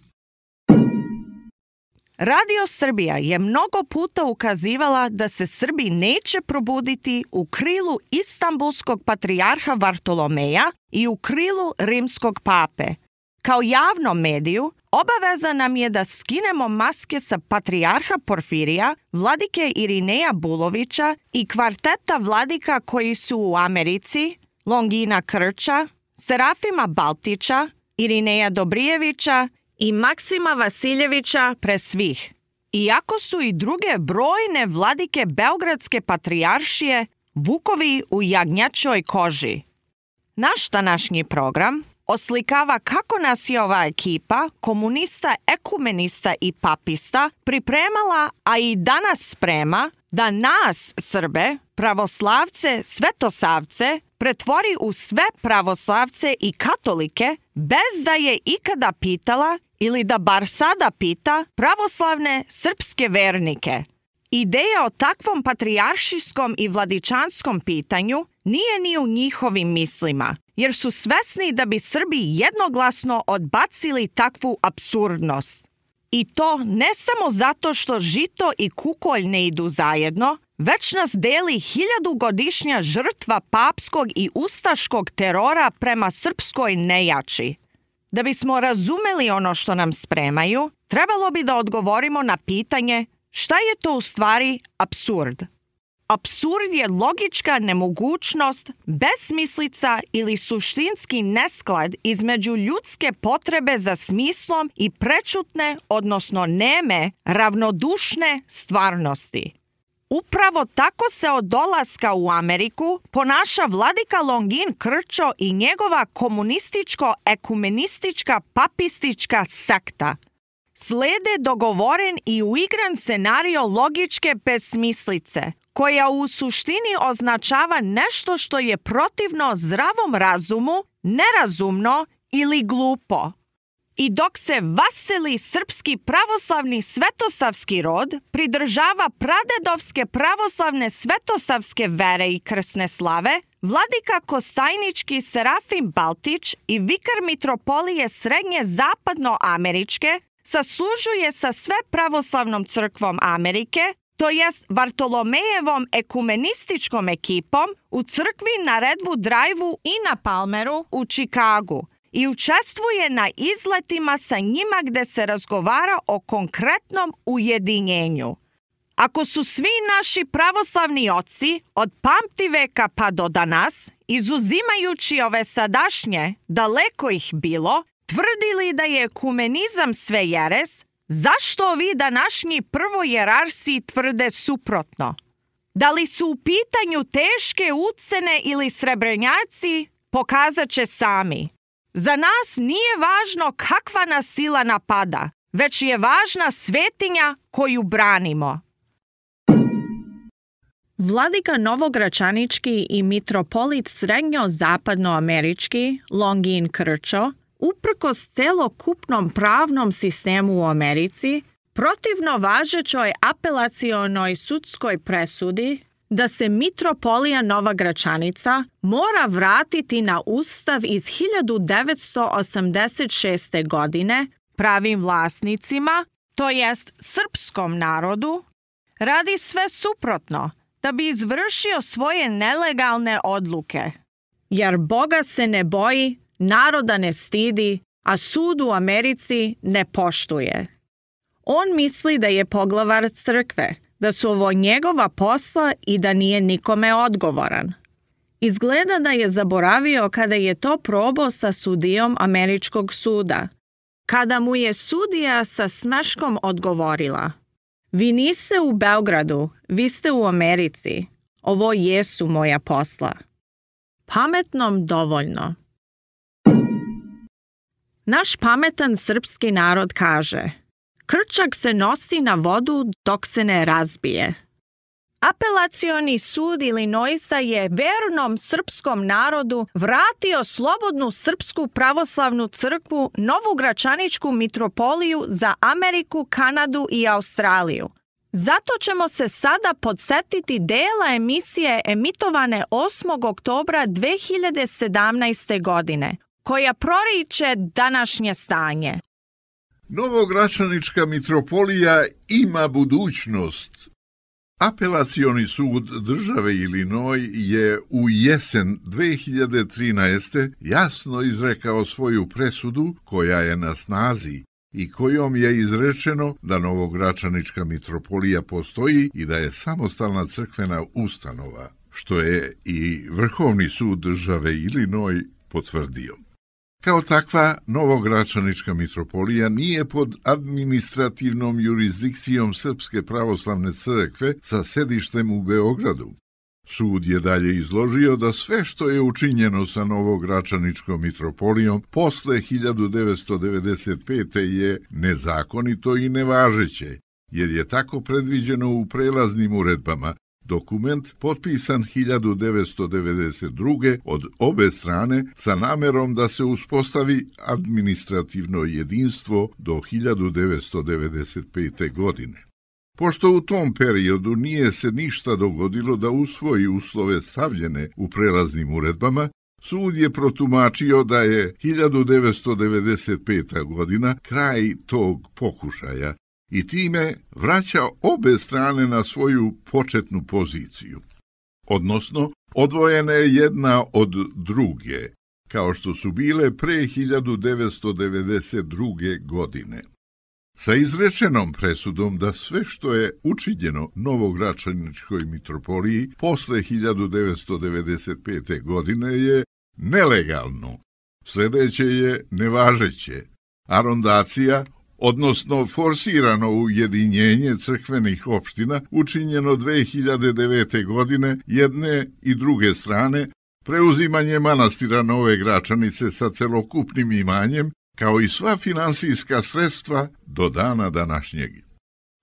Radio Srbija je mnogo puta ukazivala da se Srbi neće probuditi u krilu Istanbulskog patrijarha Vartolomeja i u krilu rimskog pape. Kao javnom mediju, obaveza nam je da skinemo maske sa patrijarha Porfirija, vladike Irineja Bulovića i kvarteta vladika koji su u Americi, Longina Krča, Serafima Baltića, Irineja Dobrijevića i Maksima Vasiljevića pre svih. Iako su i druge brojne vladike Beogradske patrijaršije vukovi u jagnjačoj koži. Naš današnji program oslikava kako nas je ova ekipa, komunista, ekumenista i papista, pripremala, a i danas sprema, da nas, Srbe, pravoslavce, svetosavce, pretvori u sve pravoslavce i katolike, bez da je ikada pitala ili da bar sada pita pravoslavne srpske vernike. Ideja o takvom patrijaršijskom i vladičanskom pitanju nije ni u njihovim mislima, jer su svesni da bi Srbi jednoglasno odbacili takvu apsurdnost. I to ne samo zato što žito i kukolj ne idu zajedno, već nas deli 1000-godišnja žrtva papskog i ustaškog terora prema srpskoj nejači. Da bismo razumeli ono što nam spremaju, trebalo bi da odgovorimo na pitanje šta je to u stvari apsurd. Apsurd je logička nemogućnost, besmislica ili suštinski nesklad između ljudske potrebe za smislom i prečutne, odnosno neme, ravnodušne stvarnosti. Upravo tako se od dolaska u Ameriku ponaša vladika Longin Krčo i njegova komunističko-ekumenistička papistička sekta. Slede dogovoren i uigran scenario logičke besmislice, koja u suštini označava nešto što je protivno zdravom razumu, nerazumno ili glupo. I dok se vasili srpski pravoslavni svetosavski rod pridržava pradedovske pravoslavne svetosavske vere i krsne slave, vladika Kostajnički Serafim Baltić i vikar mitropolije Srednje zapadnoameričke saslužuje sa sve pravoslavnom crkvom Amerike, to jest Vartolomejevom ekumenističkom ekipom u crkvi na Redwood Drive-u i na Palmeru u Čikagu i učestvuje na izletima sa njima gde se razgovara o konkretnom ujedinjenju. Ako su svi naši pravoslavni oci od pamtiveka pa do danas, izuzimajući ove sadašnje, daleko ih bilo, tvrdili da je ekumenizam sve jeres, zašto ovi današnji prvojerarsi tvrde suprotno? Da li su u pitanju teške ucene ili srebrenjaci, pokazat će sami. Za nas nije važno kakva nas sila napada, već je važna svetinja koju branimo. Vladika Novogračanički i mitropolit srednjo-zapadnoamerički Longin Krčo, uprkos celokupnom pravnom sistemu u Americi, protivno važećoj apelacionoj sudskoj presudi da se mitropolija Nova Gračanica mora vratiti na ustav iz 1986. godine pravim vlasnicima, to jest srpskom narodu, radi sve suprotno da bi izvršio svoje nelegalne odluke. Jer Boga se ne boji, naroda ne stidi, a sud u Americi ne poštuje. On misli da je poglavar crkve, da su ovo njegova posla i da nije nikome odgovoran. Izgleda da je zaboravio kada je to probao sa sudijom američkog suda, kada mu je sudija sa smeškom odgovorila: vi niste u Beogradu, vi ste u Americi. Ovo jesu moja posla. Pametnom dovoljno. Naš pametan srpski narod kaže: krčak se nosi na vodu dok se ne razbije. Apelacioni sud Ilinoisa je vernom srpskom narodu vratio slobodnu srpsku pravoslavnu crkvu Novogračaničku mitropoliju za Ameriku, Kanadu i Australiju. Zato ćemo se sada podsetiti dela emisije emitovane 8. oktobra 2017. godine, koja proriče današnje stanje. Novogračanička mitropolija ima budućnost. Apelacioni sud države Illinois je u jesen 2013. jasno izrekao svoju presudu koja je na snazi i kojom je izrečeno da Novogračanička mitropolija postoji i da je samostalna crkvena ustanova, što je i Vrhovni sud države Illinois potvrdio. Kao takva, Novogračanička mitropolija nije pod administrativnom jurisdikcijom Srpske pravoslavne crkve sa sedištem u Beogradu. Sud je dalje izložio da sve što je učinjeno sa Novogračaničkom mitropolijom posle 1995. je nezakonito i nevažeće, jer je tako predviđeno u prelaznim uredbama, dokument potpisan 1992. od obe strane sa namerom da se uspostavi administrativno jedinstvo do 1995. godine. Pošto u tom periodu nije se ništa dogodilo da usvoji uslove stavljene u prelaznim uredbama, sud je protumačio da je 1995. godina kraj tog pokušaja i time vraća obe strane na svoju početnu poziciju. Odnosno, odvojene jedna od druge, kao što su bile pre 1992. godine. Sa izrečenom presudom da sve što je učinjeno Novogračaničkoj mitropoliji posle 1995. godine je nelegalno, sljedeće je nevažeće, arondacija, odnosno forsirano ujedinjenje crkvenih opština učinjeno 2009. godine jedne i druge strane, preuzimanje manastira Nove Gračanice sa celokupnim imanjem, kao i sva finansijska sredstva do dana današnjeg.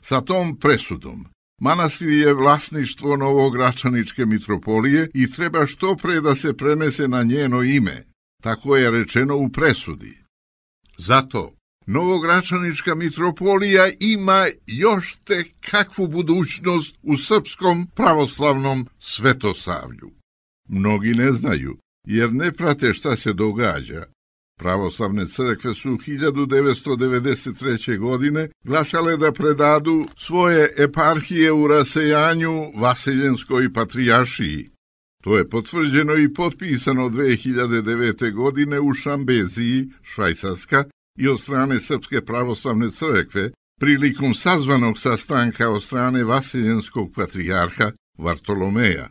Sa tom presudom manastir je vlasništvo Novogračaničke mitropolije i treba što pre da se prenese na njeno ime, tako je rečeno u presudi. Zato Novogračanička mitropolija ima još tek kakvu budućnost u srpskom pravoslavnom svetosavlju. Mnogi ne znaju, jer ne prate šta se događa. Pravoslavne crkve su 1993. godine glasale da predadu svoje eparhije u rasejanju Vaseljenskoj patrijaršiji. To je potvrđeno i potpisano 2009. godine u Šambeziji, Švajcarska, i od strane Srpske pravoslavne crkve prilikom sazvanog sastanka od strane Vaseljenskog patrijarha Vartolomeja.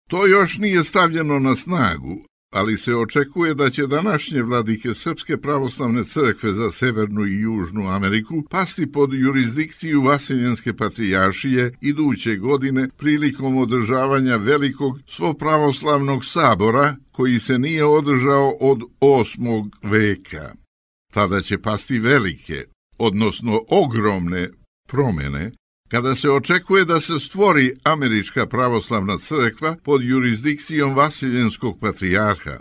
To još nije stavljeno na snagu, ali se očekuje da će današnje vladike Srpske pravoslavne crkve za Severnu i Južnu Ameriku pasti pod jurisdikciju Vaseljenske patrijaršije iduće godine prilikom održavanja velikog svopravoslavnog sabora koji se nije održao od 8. veka. Tada će pasti velike, odnosno ogromne promjene, kada se očekuje da se stvori Američka pravoslavna crkva pod jurisdikcijom Vaseljenskog patrijarha.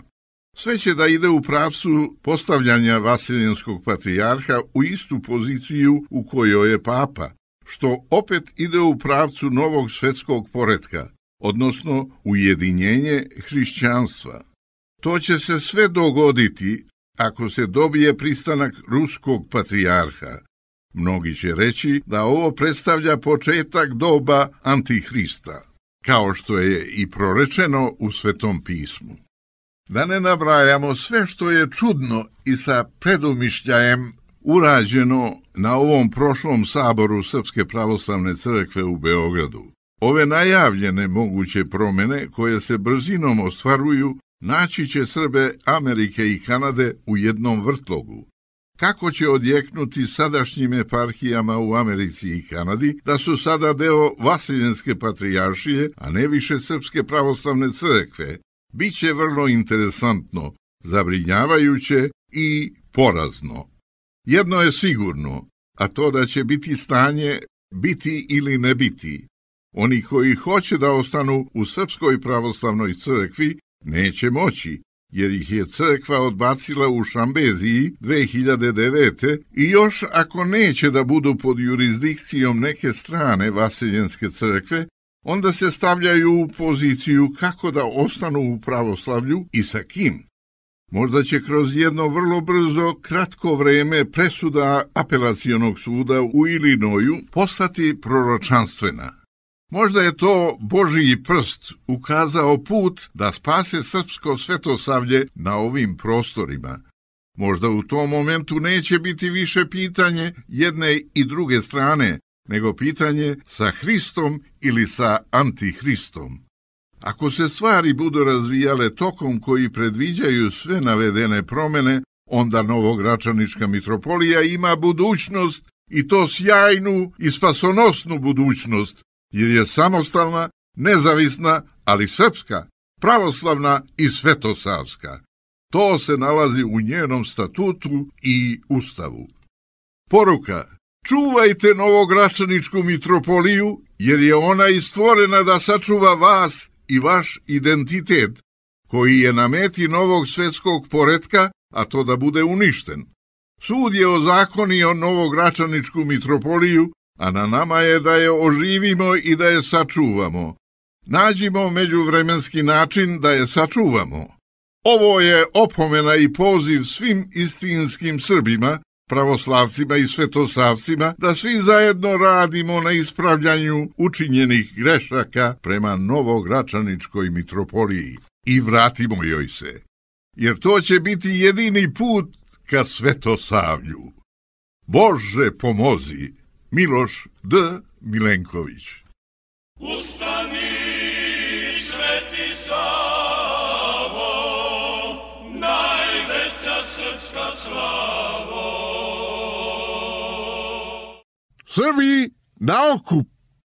Sve će da ide u pravcu postavljanja Vaseljenskog patrijarha u istu poziciju u kojoj je papa, što opet ide u pravcu novog svetskog poretka, odnosno ujedinjenje hrišćanstva. To će se sve dogoditi ako se dobije pristanak ruskog patrijarha. Mnogi će reći da ovo predstavlja početak doba Antihrista, kao što je i prorečeno u Svetom pismu. Da ne nabrajamo sve što je čudno i sa predumišljajem urađeno na ovom prošlom saboru Srpske pravoslavne crkve u Beogradu. Ove najavljene moguće promjene koje se brzinom ostvaruju naći će Srbe Amerike i Kanade u jednom vrtlogu. Kako će odjeknuti sadašnjim eparhijama u Americi i Kanadi da su sada deo Vaseljenske patrijaršije, a ne više Srpske pravoslavne crkve, bit će vrlo interesantno, zabrinjavajuće i porazno. Jedno je sigurno, a to da će biti stanje biti ili ne biti. Oni koji hoće da ostanu u Srpskoj pravoslavnoj crkvi neće moći, jer ih je crkva odbacila u Šambeziji 2009. i još ako neće da budu pod jurisdikcijom neke strane Vaseljenske crkve, onda se stavljaju u poziciju kako da ostanu u pravoslavlju i sa kim. Možda će kroz jedno vrlo brzo, kratko vreme presuda apelacionog suda u Ilinoju postati proročanstvena. Možda je to Božji prst ukazao put da spase srpsko svetosavlje na ovim prostorima. Možda u tom momentu neće biti više pitanje jedne i druge strane, nego pitanje sa Hristom ili sa Antihristom. Ako se stvari budu razvijale tokom koji predviđaju sve navedene promjene, onda Novogračanička mitropolija ima budućnost, i to sjajnu i spasonosnu budućnost, jer je samostalna, nezavisna, ali srpska, pravoslavna i svetosavska. To se nalazi u njenom statutu i ustavu. Poruka: čuvajte Novogračaničku mitropoliju, jer je ona i stvorena da sačuva vas i vaš identitet, koji je na meti novog svetskog poretka, a to da bude uništen. Sud je ozakonio Novogračaničku mitropoliju, a na nama je da je oživimo i da je sačuvamo. Nađimo međuvremenski način da je sačuvamo. Ovo je opomena i poziv svim istinskim Srbima, pravoslavcima i svetosavcima, da svi zajedno radimo na ispravljanju učinjenih grešaka prema Novogračaničkoj mitropoliji i vratimo joj se, jer to će biti jedini put ka svetosavlju. Bože pomozi! Miloš D. Milenković. Ustani, Sveti Savo, najveća srpska slavo. Srbi na okup!